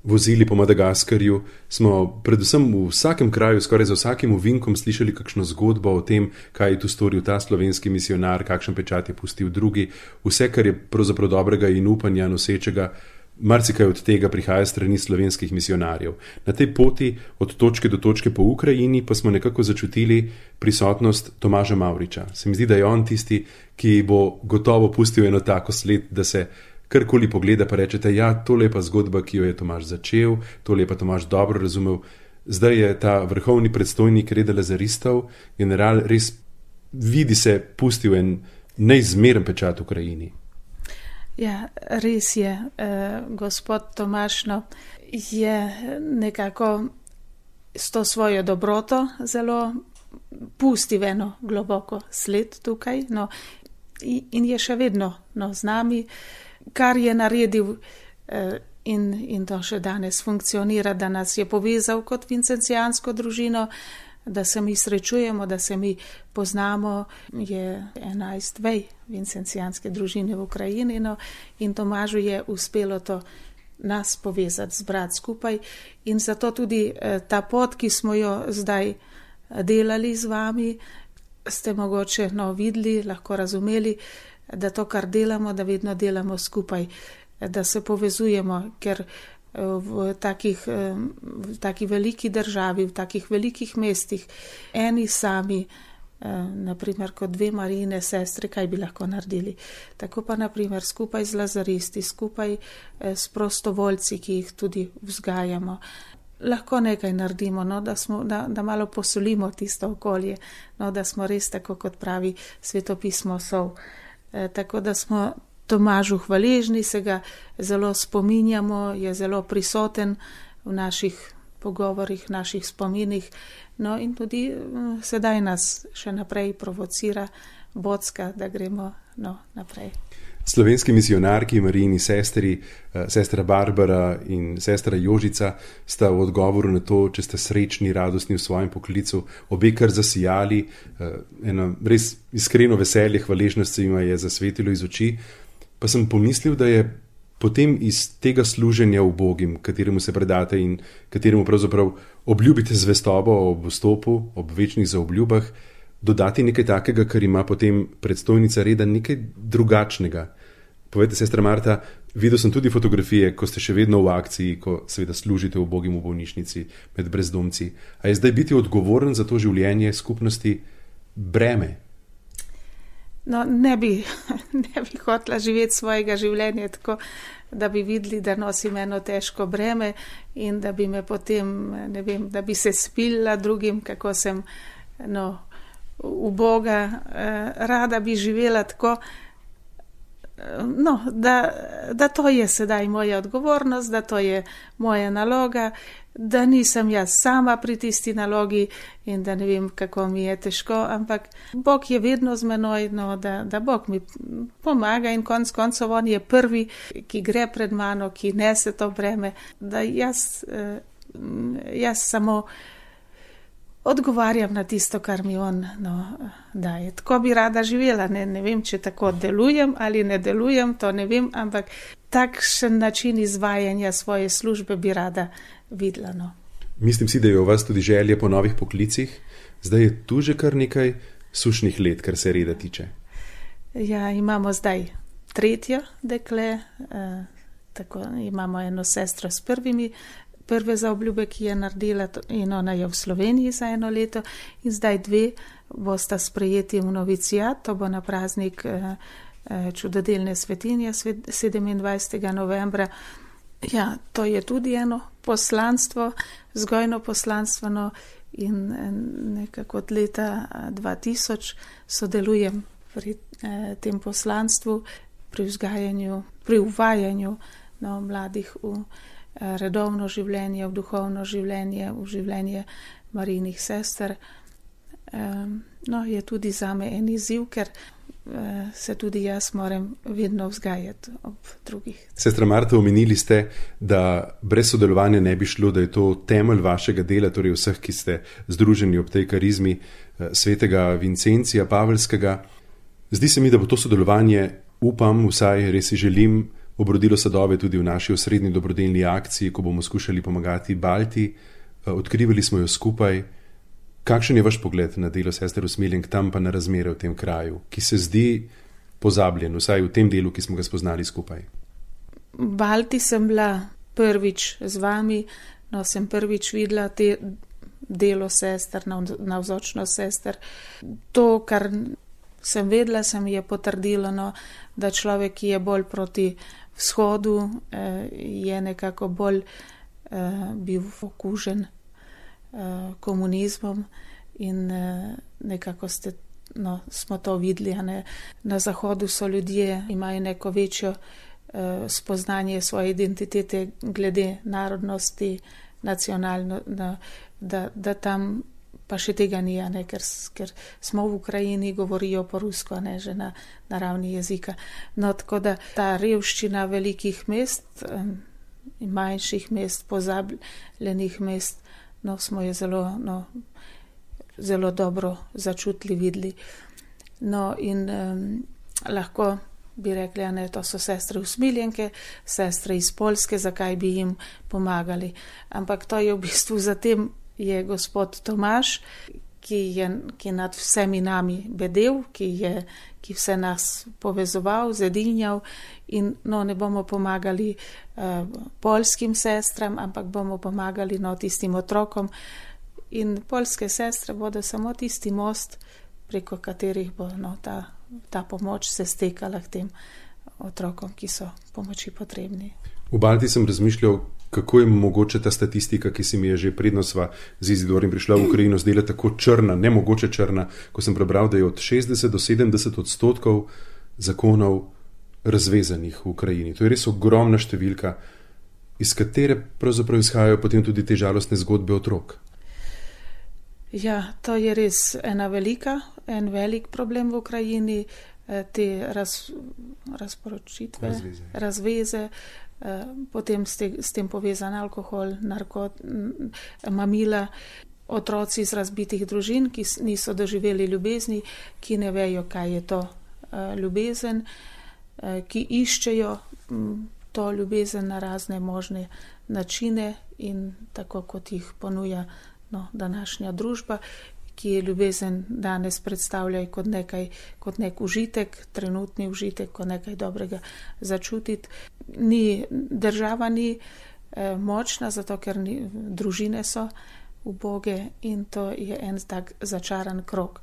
vozili po Madagaskarju, smo predvsem v vsakem kraju, skoraj za vsakim ovinkom slišali kakšno zgodbo o tem, kaj je tu storil ta slovenski misionar, kakšen pečat je pustil drugi, vse, kar je pravzaprav dobrega in upanja nosečega, marsikaj od tega prihaja strani slovenskih misionarjev. Na tej poti od točke do točke po Ukrajini pa smo nekako začutili prisotnost Tomaža Mavriča. Se mi zdi, da je on tisti, ki bo gotovo pustil eno tako sled, da se karkoli pogleda, pa rečete, ja, tole je pa zgodba, ki jo je Tomaž začel, tole je pa Tomaž dobro razumel. Zdaj je ta vrhovni predstojnik reda lazaristov, general, res vidi se pustil en neizmeren pečat v Ukrajini. Ja, res je, eh, gospod Tomaž, no, je nekako s to svojo dobroto zelo pustil eno globoko sled tukaj, no, in je še vedno, no, z nami, kar je naredil eh, in, in to še danes funkcionira, da nas je povezal kot vincencijansko družino, da se mi srečujemo, da se mi poznamo, je enajst vej vincencijanske družine v Ukrajini, no, in Tomažu je uspelo to nas povezati, zbrati skupaj, in zato tudi eh, ta pot, ki smo jo zdaj delali z vami, ste mogoče, no, videli, lahko razumeli, da to, kar delamo, da vedno delamo skupaj, da se povezujemo, ker v takih, v takih veliki državi, v takih velikih mestih, eni sami, naprimer kot dve Marijine sestre, kaj bi lahko naredili. Tako pa naprimer skupaj z lazaristi, skupaj s prostovoljci, ki jih tudi vzgajamo, lahko nekaj naredimo, no, da, smo, da, da malo posolimo tisto okolje, no, da smo res, tako kot pravi svetopismo, sol. E, tako da smo Tomažu hvaležni, se ga zelo spominjamo, je zelo prisoten v naših pogovorih, naših spominih, no, in tudi sedaj nas še naprej provocira, bocka, da gremo, no, naprej. Slovenski misionarki, Marijini sestri, sestra Barbara in sestra Jožica, sta v odgovoru na to, če ste srečni, radostni v svojem poklicu, obe kar zasijali, eno res iskreno veselje, hvaležnost se jima je zasvetilo iz oči. Pa sem pomislil, da je potem iz tega služenja ubogim, kateremu se predate in kateremu pravzaprav obljubite zvestobo ob vstopu, ob večnih zaobljubah, dodati nekaj takega, kar ima potem predstojnica reda, nekaj drugačnega. Povejte, sestra Marta, videl sem tudi fotografije, ko ste še vedno v akciji, ko seveda služite ubogim v bolnišnici med brezdomci. A je zdaj biti odgovoren za to življenje skupnosti breme? No, ne bi, ne bi hotela živeti svojega življenja tako, da bi videli, da nosim eno težko breme in da bi me potem, ne vem, da bi se spila drugim, kako sem, no, uboga. Rada bi živela tako, no, da, da to je sedaj moja odgovornost, da to je moja naloga, da nisem jaz sama pri tisti nalogi in da ne vem, kako mi je težko, ampak Bog je vedno z menoj, no, da, da Bog mi pomaga in konc koncev on je prvi, ki gre pred mano, ki nese to breme, da jaz, jaz samo odgovarjam na tisto, kar mi on, no, daje. Tako bi rada živela, ne, ne vem, če tako delujem ali ne delujem, to ne vem, ampak takšen način izvajanja svoje službe bi rada videla. No. Mislim si, da je u vas tudi želje po novih poklicih. Zdaj je tu že kar nekaj sušnih let, kar se reda tiče. Ja, imamo zdaj tretjo dekle, eh, tako imamo eno sestro s prvimi, prve zaobljube, ki je naredila in ona je v Sloveniji za eno leto in zdaj dve bosta sprejeti v novicijat, to bo na praznik eh, čudodelne svetinje sedemindvajsetega novembra. Ja, to je tudi eno poslanstvo, vzgojno poslanstvo, no, in nekako od leta dva tisoč sodelujem pri eh, tem poslanstvu, pri vzgajanju, pri uvajanju, no, mladih v redovno življenje, v duhovno življenje, v življenje Marijinih sester. No, je tudi zame en izziv, ker se tudi jaz moram vedno vzgajati ob drugih. Sestra Marta, omenili ste, da brez sodelovanja ne bi šlo, da je to temelj vašega dela, torej vseh, ki ste združeni ob tej karizmi svetega Vincencija Pavelskega. Zdi se mi, da bo to sodelovanje, upam, vsaj res si želim, obrodilo sadove tudi v naši osrednji dobrodelni akciji, ko bomo skušali pomagati Balti. Odkrivali smo jo skupaj. Kakšen je vaš pogled na delo sester usmiljenk, tam pa na razmere v tem kraju, ki se zdi pozabljen, vsaj v tem delu, ki smo ga spoznali skupaj? V Balti sem bila prvič z vami, no sem prvič videla te delo sester, navzočnost sester. To, kar sem vedela, se mi je potrdilo, no, da človek, ki je bolj proti vzhodu, je nekako bolj bil okužen komunizmom in nekako ste, no, smo to videli. Ne? Na zahodu so ljudje, imajo neko večjo spoznanje svoje identitete glede narodnosti, nacionalno, da, da, da tam pa še tega ni, ne? ker, ker smo v Ukrajini, govorijo po rusko, ne, že na, na ravni jezika. No, tako da ta revščina velikih mest in manjših mest, pozabljenih mest, no, smo jo zelo, no, zelo dobro začutili, videli. No, in um, lahko bi rekli, ne, to so sestre usmiljenke, sestre iz Poljske, zakaj bi jim pomagali. Ampak to je v bistvu, zatem je gospod Tomaž, ki je ki nad vsemi nami bedel, ki je ki vse nas povezoval, zedinjal in no, ne bomo pomagali uh, poljskim sestram, ampak bomo pomagali no, tistim otrokom. In poljske sestre bodo samo tisti most, preko katerih bo no, ta, ta pomoč se stekala k tem otrokom, ki so pomoči potrebni. V Balti sem razmišljal, kako je mogoče ta statistika, ki se mi je že predno sva z Izidorjem prišla v Ukrajino, zdela tako črna, nemogoče črna, ko sem prebral, da je od šestdeset do sedemdeset odstotkov zakonov razvezanih v Ukrajini. To je res ogromna številka, iz katere pravzaprav izhajajo potem tudi te žalostne zgodbe otrok. Ja, to je res ena velika, en velik problem v Ukrajini, te raz, razporočitve, razveze, razveze potem s, te, s tem povezan alkohol, narkot, mamila, otroci iz razbitih družin, ki niso doživeli ljubezni, ki ne vejo, kaj je to ljubezen, ki iščejo to ljubezen na razne možne načine in tako kot jih ponuja no, današnja družba, ki je ljubezen danes predstavlja kot nekaj, kot nek užitek, trenutni užitek, kot nekaj dobrega začutiti. Ni, država ni eh, močna, zato ker ni, družine so uboge in to je en tak začaran krog.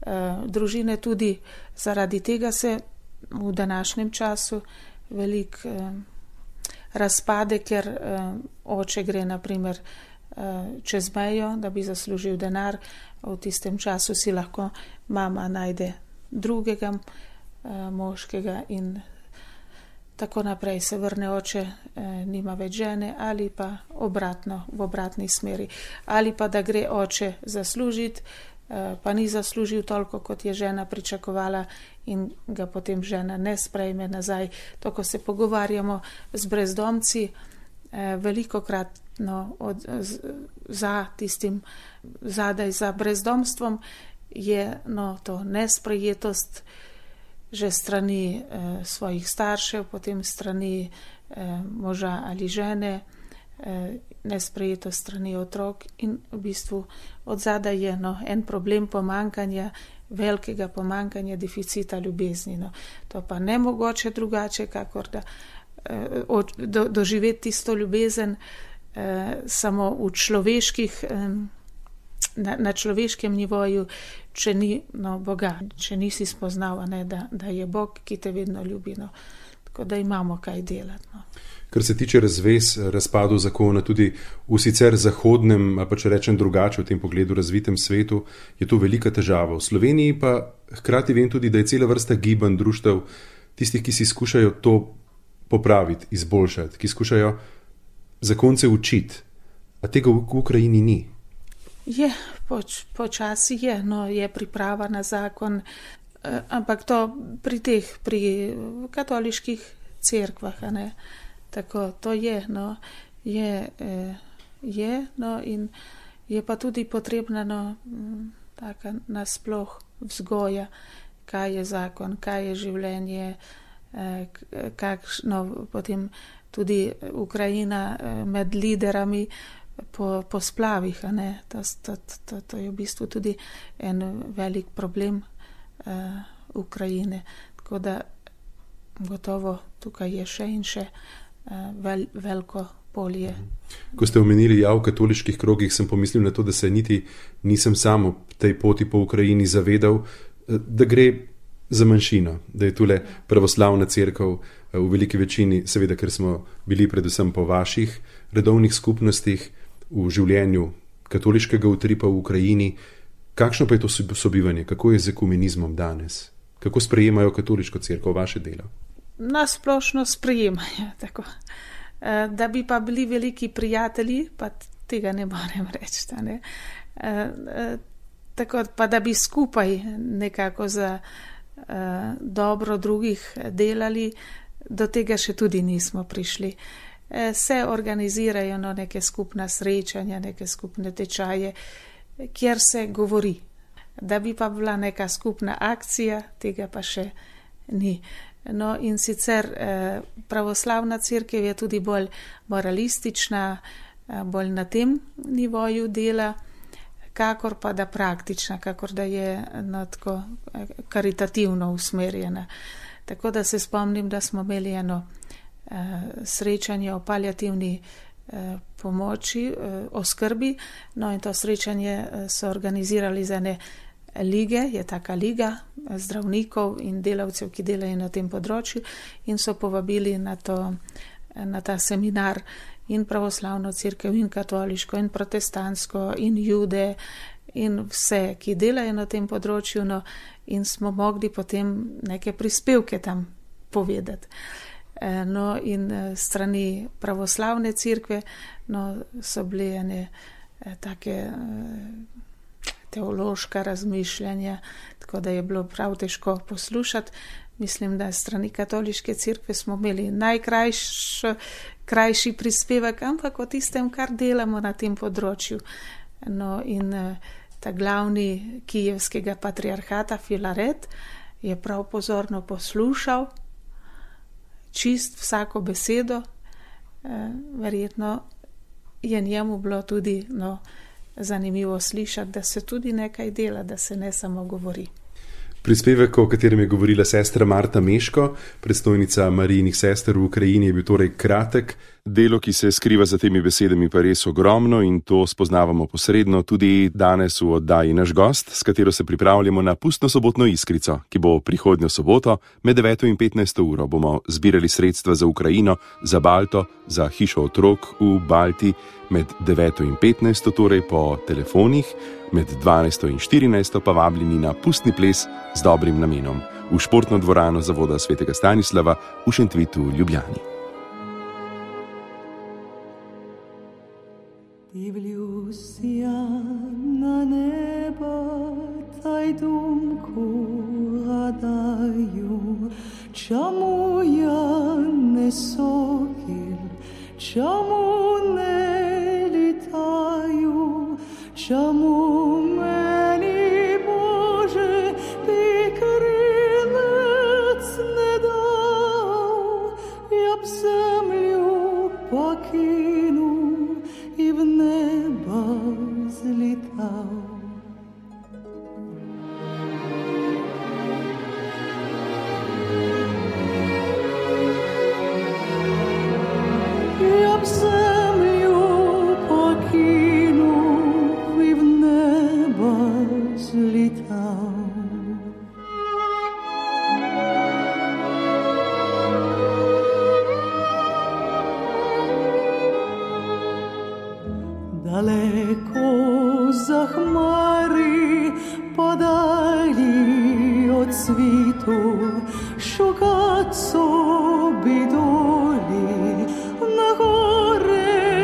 Eh, družine tudi zaradi tega se v današnjem času veliko eh, razpade, ker eh, oče gre naprimer čez mejo, da bi zaslužil denar, v tistem času si lahko mama najde drugega moškega in tako naprej se vrne oče, nima več žene ali pa obratno, v obratni smeri. Ali pa da gre oče zaslužiti, pa ni zaslužil toliko, kot je žena pričakovala in ga potem žena ne sprejme nazaj. To, ko se pogovarjamo z brezdomci, veliko krat no, od, z, za tistim zadaj za brezdomstvom je no, to nesprejetost že strani eh, svojih staršev, potem strani eh, moža ali žene, eh, nesprejetost strani otrok in v bistvu od zadaj je no, en problem pomankanja, velikega pomankanja, deficita ljubezni. No. To pa ne mogoče drugače, kakor da eh, od, do, doživeti tisto ljubezen Eh, samo v človeških, eh, na, na človeškem nivoju, če ni no, Boga, če nisi spoznal, ne, da, da je Bog, ki te vedno ljubi. No. Tako da imamo kaj delati. No. Kar se tiče razvez, razpadov zakona, tudi v sicer zahodnem, pa če rečem drugače v tem pogledu razvitem svetu, je to velika težava. V Sloveniji pa hkrati vem tudi, da je cela vrsta gibanj, društev, tistih, ki si skušajo to popraviti, izboljšati, ki skušajo zakonce učiti, a tega v Ukrajini ni. Je, poč, počasi je, no, je priprava na zakon, ampak to pri teh, pri katoliških cerkvah, a ne, tako to je, no, je, je, no, in je pa tudi potrebna, no, taka nasploh vzgoja, kaj je zakon, kaj je življenje, kakšno potem tudi Ukrajina med liderami po, po splavih, a ne, to, to, to, to je v bistvu tudi en velik problem uh, Ukrajine, tako da gotovo tukaj je še in še uh, vel, veliko polje. Ko ste omenili ja v katoliških krogih, sem pomislil na to, da se niti nisem sam v tej poti po Ukrajini zavedal, da gre za manjšino, da je tule pravoslavna cerkev v veliki večini, seveda, ker smo bili predvsem po vaših redovnih skupnostih v življenju katoliškega utripa v Ukrajini. Kakšno pa je to sobivanje? Kako je z ekumenizmom danes? Kako sprejemajo katoliško cerkev vaše delo? Nasplošno sprejemajo, tako. Da bi pa bili veliki prijatelji, pa tega ne morem reči, ne. Tako pa, da bi skupaj nekako za Uh, dobro drugih delali, do tega še tudi nismo prišli. Uh, se organizirajo no, neke skupna srečanja, neke skupne tečaje, kjer se govori. Da bi pa bila neka skupna akcija, tega pa še ni. No, in sicer uh, pravoslavna cerkev je tudi bolj moralistična, uh, bolj na tem nivoju dela, kakor pa da praktična, kakor da je no, tako karitativno usmerjena. Tako da se spomnim, da smo imeli eno eh, srečanje o paliativni eh, pomoči, eh, o skrbi, no in to srečanje so organizirali za ene lige, je taka liga zdravnikov in delavcev, ki delajo na tem področju in so povabili na, to, na ta seminar in pravoslavno cerkev, in katoliško, in protestantsko, in jude, in vse, ki delajo na tem področju, no, in smo mogli potem neke prispevke tam povedati. No, in strani pravoslavne cerkve, no, so bile ene take teološka razmišljanja, tako da je bilo prav težko poslušati. Mislim, da strani katoliške cerkve smo imeli najkrajši krajši prispevek, ampak o tistem, kar delamo na tem področju. No, in ta glavni kijevskega patriarhata Filaret je prav pozorno poslušal, čist vsako besedo, verjetno je njemu bilo tudi no, zanimivo slišati, da se tudi nekaj dela, da se ne samo govori. Prispevek, o katerem je govorila sestra Marta Meško, predstojnica Marijinih sester v Ukrajini, je bil torej kratek. Delo, ki se skriva za temi besedami, pa res ogromno in to spoznavamo posredno tudi danes v oddaji Naš gost, s katero se pripravljamo na pustno sobotno iskrico, ki bo prihodnjo soboto med deveto in petnajsto uro. Bomo zbirali sredstva za Ukrajino, za Balto, za hišo otrok v Balti med deveto in petnajsto, torej po telefonih, med dvanajsto in štirinajsto pa vabljeni na pustni ples z dobrim namenom v športno dvorano Zavoda svetega Stanislava v Šentvitu, Ljubljani. Дивлюся на небо, та й думку гадаю, чому я не сокіл, чому не літаю, чому мені, Боже, ти крилець не дав, я б землю покинув і в небо злітав. Я б землю покинув і в небо злітав. Далеко за хмари, подалі от світу, шукать собі долі на горе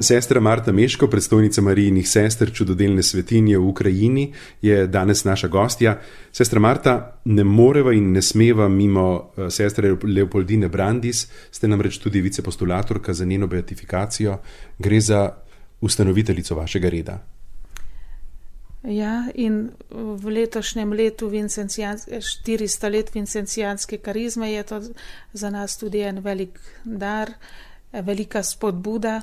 Sestra Marta Meško, predstojnica Marijinih sester čudodelne svetinje v Ukrajini, je danes naša gostja. Sestra Marta, ne moreva in ne smeva mimo sestre Leopoldine Brandis, ste namreč tudi vicepostulatorka za njeno beatifikacijo. Gre za ustanoviteljico vašega reda. Ja, in v letošnjem letu štiristo let vincencijanske karizme je to za nas tudi en velik dar, velika spodbuda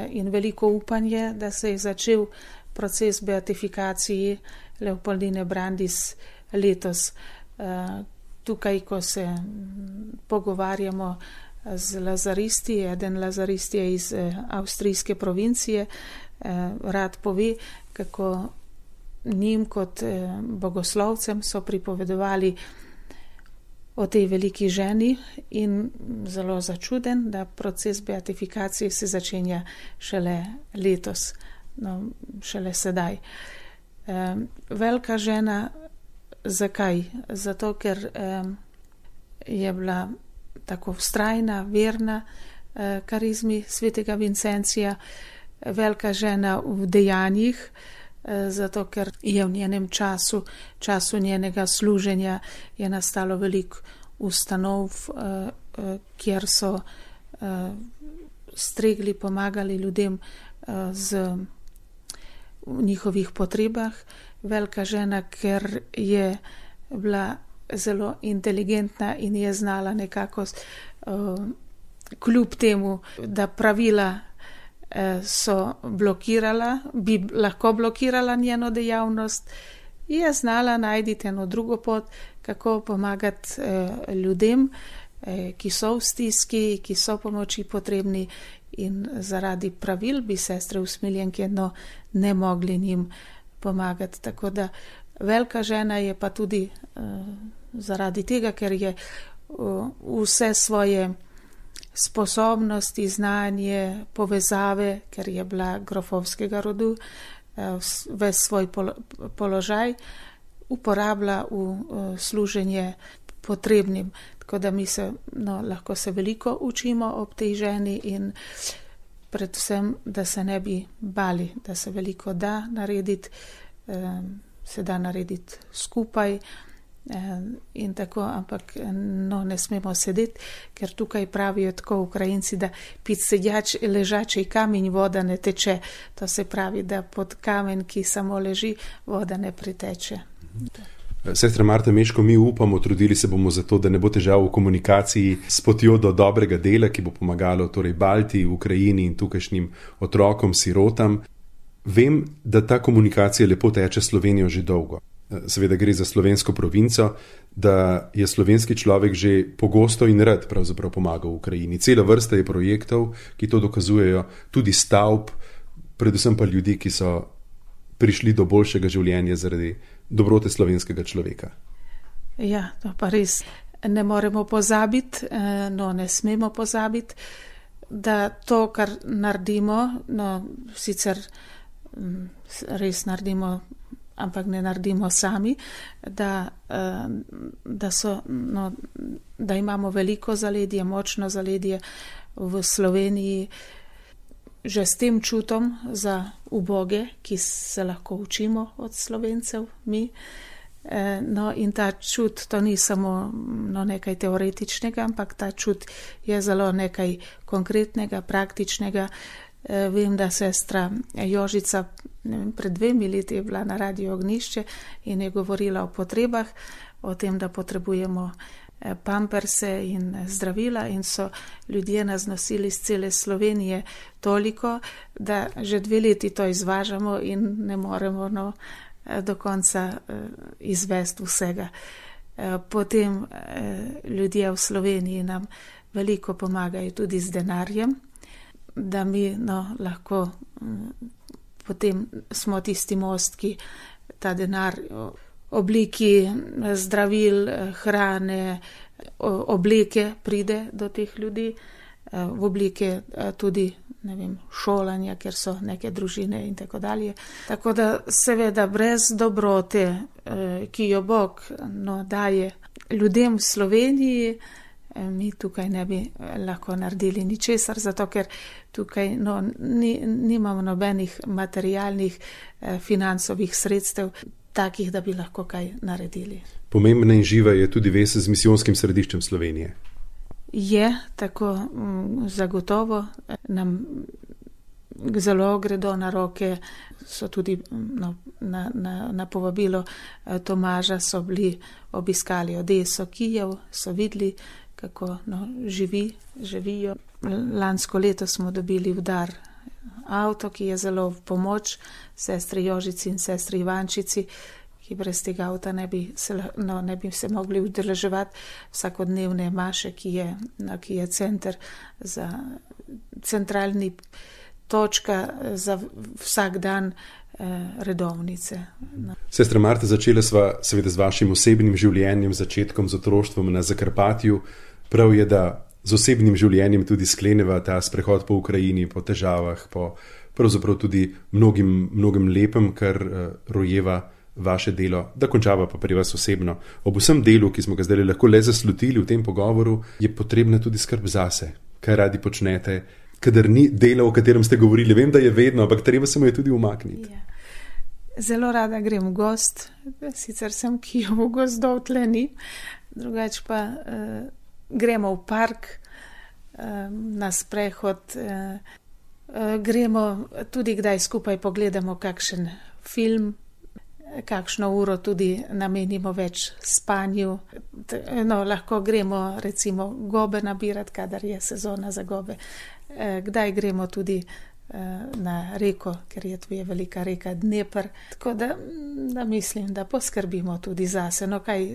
in veliko upanje, da se je začel proces beatifikacije Leopoldine Brandis letos. Tukaj, ko se pogovarjamo z lazaristi, eden lazarist je iz avstrijske provincije, rad pove, kako njim kot bogoslovcem so pripovedovali o tej veliki ženi in zelo začuden, da proces beatifikacije se začenja šele letos, no, šele sedaj. E, velika žena, zakaj? Zato, ker e, je bila tako vztrajna, verna e, karizmi svetega Vincencija, velika žena v dejanjih, zato ker je v njenem času, času njenega služenja je nastalo veliko ustanov, kjer so stregli, pomagali ljudem z njihovih potrebah. Velika žena, ker je bila zelo inteligentna in je znala nekako kljub temu, da pravila so blokirala, bi lahko blokirala njeno dejavnost, je znala najti eno drugo pot, kako pomagati eh, ljudem, eh, ki so v stiski, ki so pomoči potrebni, in zaradi pravil bi sestre usmiljenke no, ne mogli njim pomagati. Tako da velika žena je pa tudi eh, zaradi tega, ker je uh, vse svoje sposobnosti, znanje, povezave, ker je bila grofovskega rodu, ves svoj položaj uporablja v služenje potrebnim. Tako da mi se, no, lahko se veliko učimo ob tej ženi in predvsem, da se ne bi bali, da se veliko da narediti, se da narediti skupaj, in tako, ampak no, ne smemo sedeti, ker tukaj pravijo tako Ukrajinci, da pit sedjač ležačej kamen voda ne teče. To se pravi, da pod kamen, ki samo leži, voda ne priteče. Sestra Marta Meško, mi upamo, trudili se bomo za to, da ne bo težav v komunikaciji s potjo do dobrega dela, ki bo pomagalo torej Balti, Ukrajini in tukajšnjim otrokom, sirotam. Vem, da ta komunikacija lepo teče s Slovenijo že dolgo. Seveda gre za slovensko provinco, da je slovenski človek že pogosto in rad pravzaprav pomagal v Ukrajini. Cela vrsta je projektov, ki to dokazujejo, tudi stavb, predvsem pa ljudi, ki so prišli do boljšega življenja zaradi dobrote slovenskega človeka. Ja, to pa res. ne moremo pozabiti, no ne smemo pozabiti, da to, kar naredimo, no sicer res naredimo, ampak ne naredimo sami, da, da, so, no, da imamo veliko zaledje, močno zaledje v Sloveniji, že s tem čutom za uboge, ki se lahko učimo od Slovencev, mi. No, in ta čut, to ni samo no, nekaj teoretičnega, ampak ta čut je zelo nekaj konkretnega, praktičnega. Vem, da sestra Jožica vem, pred dvemi leti je bila na Radio Ognjišče in je govorila o potrebah, o tem, da potrebujemo pamperse in zdravila, in so ljudje nas nosili iz cele Slovenije toliko, da že dve leti to izvažamo in ne moremo no, do konca izvesti vsega. Potem ljudje v Sloveniji nam veliko pomagajo tudi z denarjem, da mi no, lahko potem smo tisti most, ki ta denar obliki zdravil, hrane, obleke pride do teh ljudi, v oblike tudi ne vem, šolanja, ker so neke družine in tako dalje. Tako da seveda brez dobrote, ki jo Bog no, daje ljudem v Sloveniji, mi tukaj ne bi lahko naredili ničesar, zato ker tukaj no, ni, nimamo nobenih materialnih financovih sredstev, takih, da bi lahko kaj naredili. Pomembna in živa je tudi vez z misijonskim središčem Slovenije. Je, tako zagotovo nam zelo gredo na roke, so tudi no, na, na, na povabilo Tomaža so bili obiskali Odeso, Kijev, so videli, kako no, živi, živijo. Lansko leto smo dobili v dar avto, ki je zelo v pomoč sestri Jožici in sestri Ivančici, ki brez tega avta ne bi se, no, ne bi se mogli udeleževati vsakodnevne maše, ki je, no, ki je center za centralni točka za vsak dan eh, redovnice. No. Sestra Marta, začela sva seveda z vašim osebnim življenjem, začetkom z otroštvom na Zakarpatju. Prav je, da z osebnim življenjem tudi skleneva ta sprehod po Ukrajini, po težavah, po pravzaprav tudi mnogim, mnogim lepem, kar uh, rojeva vaše delo, da končava pa pri vas osebno. Ob vsem delu, ki smo ga zdaj lahko le zaslutili v tem pogovoru, je potrebna tudi skrb zase. Kaj radi počnete, kadar ni dela, o katerem ste govorili? Vem, da je vedno, ampak treba se mu je tudi umakniti. Ja. Zelo rada grem v gost, sicer sem Kijev v gozdov tle ni, drugač pa uh, gremo v park, uh, na sprehod, uh, uh, gremo tudi kdaj skupaj pogledamo kakšen film, kakšno uro tudi namenimo več spanju. No, lahko gremo recimo gobe nabirati, kadar je sezona za gobe. Kdaj gremo tudi na reko, ker je tu je velika reka Dnepr. Tako da, da mislim, da poskrbimo tudi zase. No, kaj,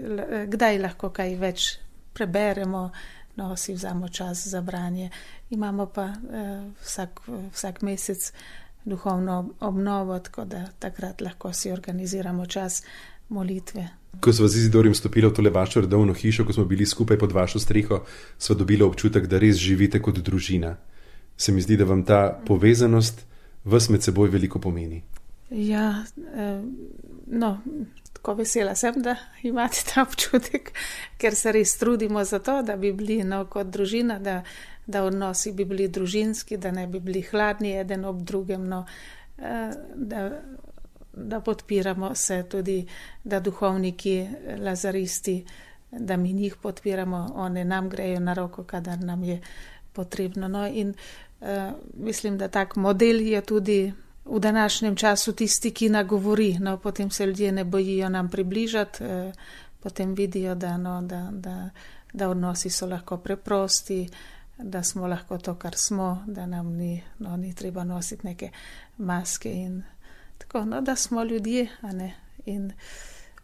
kdaj lahko kaj več preberemo, no, si vzamo čas za branje. Imamo pa vsak, vsak mesec duhovno obnovo, tako da takrat lahko si organiziramo čas molitve. Ko sva z Izidorjem stopila v tole vašo redovno hišo, ko smo bili skupaj pod vašo streho, sva dobila občutek, da res živite kot družina. Se mi zdi, da vam ta povezanost vas med seboj veliko pomeni. Ja, no, tako vesela sem, da imate ta občutek, ker se res trudimo za to, da bi bili no, kot družina, da da odnosi bi bili družinski, da ne bi bili hladni eden ob drugem, no, da, da podpiramo se tudi, da duhovniki, lazaristi, da mi njih podpiramo, one nam grejo na roko, kadar nam je potrebno. No, in uh, mislim, da tak model je tudi v današnjem času tisti, ki nagovori, no, potem se ljudje ne bojijo nam približati, uh, potem vidijo, da, no, da, da, da odnosi so lahko preprosti, da smo lahko to, kar smo, da nam ni, no, ni treba nositi neke maske in tako, no, da smo ljudje, a ne, in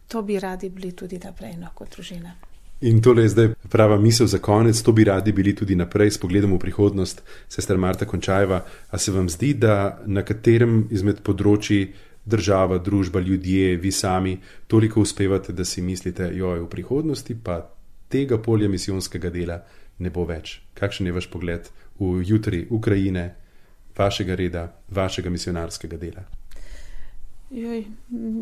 to bi radi bili tudi naprej, no, kot družina. In tole je zdaj prava misel za konec, to bi radi bili tudi naprej, s pogledom v prihodnost. Sestra Marta Končajeva, a se vam zdi, da na katerem izmed področji država, družba, ljudje, vi sami toliko uspevate, da si mislite, joj, v prihodnosti pa tega polja misijonskega dela ne bo več. Kakšen je vaš pogled v jutri Ukrajine, vašega reda, vašega misionarskega dela? Joj,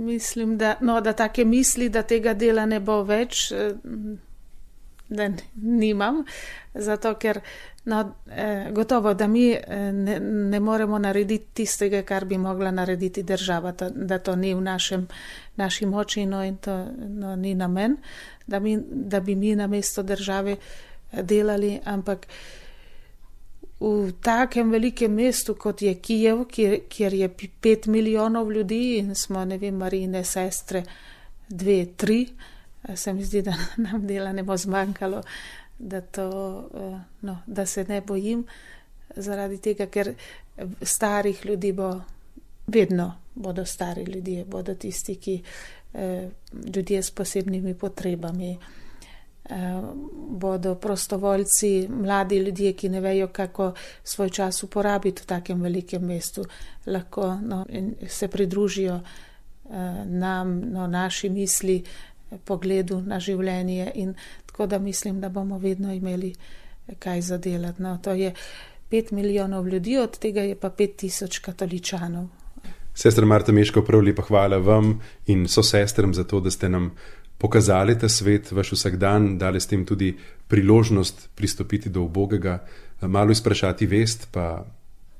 mislim, da, no, da take misli, da tega dela ne bo več, da nimam, zato ker no, gotovo, da mi ne, ne moremo narediti tistega, kar bi mogla narediti država, to, da to ni v našem, naši moči, no, in to no, ni namen, da, mi, da bi mi namesto države delali, ampak v takem velikem mestu, kot je Kijev, kjer, kjer je pet milijonov ljudi in smo, ne vem, Marijine sestre, dve, tri, se mi zdi, da nam dela ne bo zmanjkalo, da, to, no, da se ne bojim zaradi tega, ker starih ljudi bo vedno, bodo stari ljudje, bodo tisti, ki ljudje s posebnimi potrebami, bodo prostovoljci, mladi ljudje, ki ne vejo, kako svoj čas uporabiti v takem velikem mestu, lahko no, se pridružijo nam, no, naši misli, pogledu na življenje in tako da mislim, da bomo vedno imeli kaj zadelati. No, to je pet milijonov ljudi, od tega je pa pet tisoč katoličanov. Sestra Marta Meškov, prav lepa hvala vam in so sestram za to, da ste nam pokazali ta svet, vaš vsakdan, dali ste jim tudi priložnost pristopiti do ubogega, malo izprašati vest, pa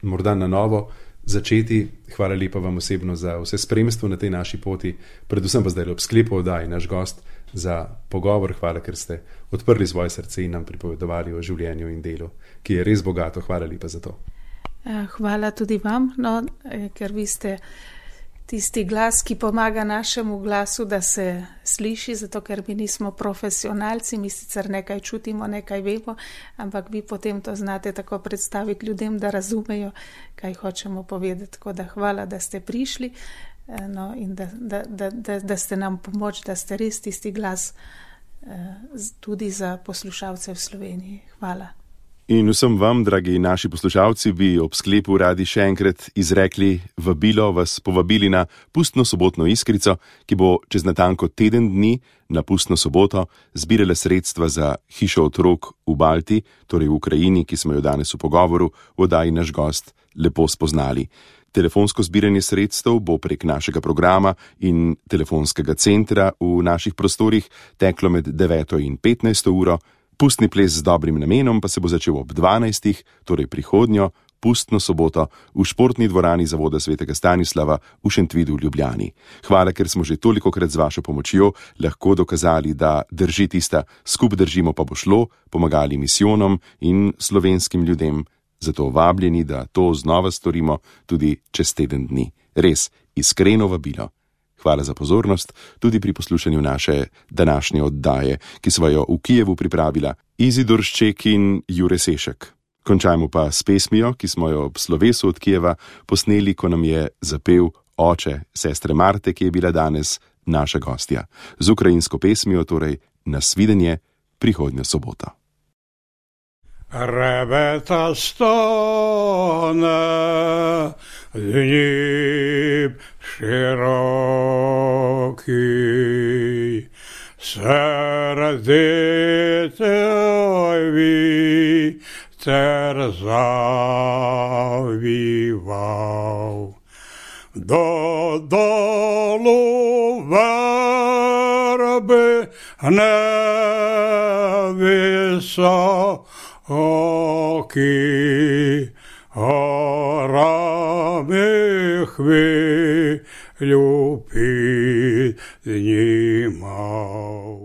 morda na novo začeti. Hvala lepa vam osebno za vse spremstvo na tej naši poti, predvsem pa zdaj ob sklepu oddaji naš gost za pogovor. Hvala, ker ste odprli svoje srce in nam pripovedovali o življenju in delu, ki je res bogato. Hvala lepa za to. Hvala tudi vam, no, ker vi ste tisti glas, ki pomaga našemu glasu, da se sliši, zato ker mi nismo profesionalci, mi sicer nekaj čutimo, nekaj vemo, ampak vi potem to znate tako predstaviti ljudem, da razumejo, kaj hočemo povedati. Tako da hvala, da ste prišli, no, in da, da, da, da, da ste nam pomoč, da ste res tisti glas tudi za poslušalce v Sloveniji. Hvala. In vsem vam, dragi naši poslušalci, bi ob sklepu radi še enkrat izrekli vabilo, vas povabili na pustno sobotno iskrico, ki bo čez natanko teden dni na pustno soboto zbirala sredstva za hišo otrok v Balti, torej v Ukrajini, ki smo jo danes v pogovoru v oddaji naš gost lepo spoznali. Telefonsko zbiranje sredstev bo prek našega programa in telefonskega centra v naših prostorih teklo med deveto in petnajsto uro. Pustni ples z dobrim namenom pa se bo začel ob dvanajstih, torej prihodnjo pustno soboto v športni dvorani Zavoda svetega Stanislava v Šentvidu v Ljubljani. Hvala, ker smo že tolikokrat z vašo pomočjo lahko dokazali, da drži tista, skup držimo pa bo šlo, pomagali misijonom in slovenskim ljudem. Zato vabljeni, da to znova storimo tudi čez teden dni. Res, iskreno vabilo. Hvala za pozornost tudi pri poslušanju naše današnje oddaje, ki sva jo v Kijevu pripravila Izidor Šček in Jure Sešek. Končajmo pa s pesmijo, ki smo jo ob slovesu od Kijeva posneli, ko nam je zapel oče sestre Marte, ki je bila danes naša gostja. Z ukrajinsko pesmijo torej nasvidenje prihodnjo soboto. Ребета стане, Дніп широкий, сердитий вітер завівав. Додолу верби невисокі, горами хвилю піднімав.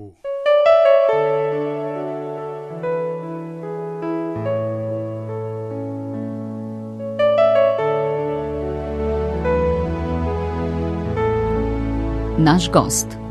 Naš gost.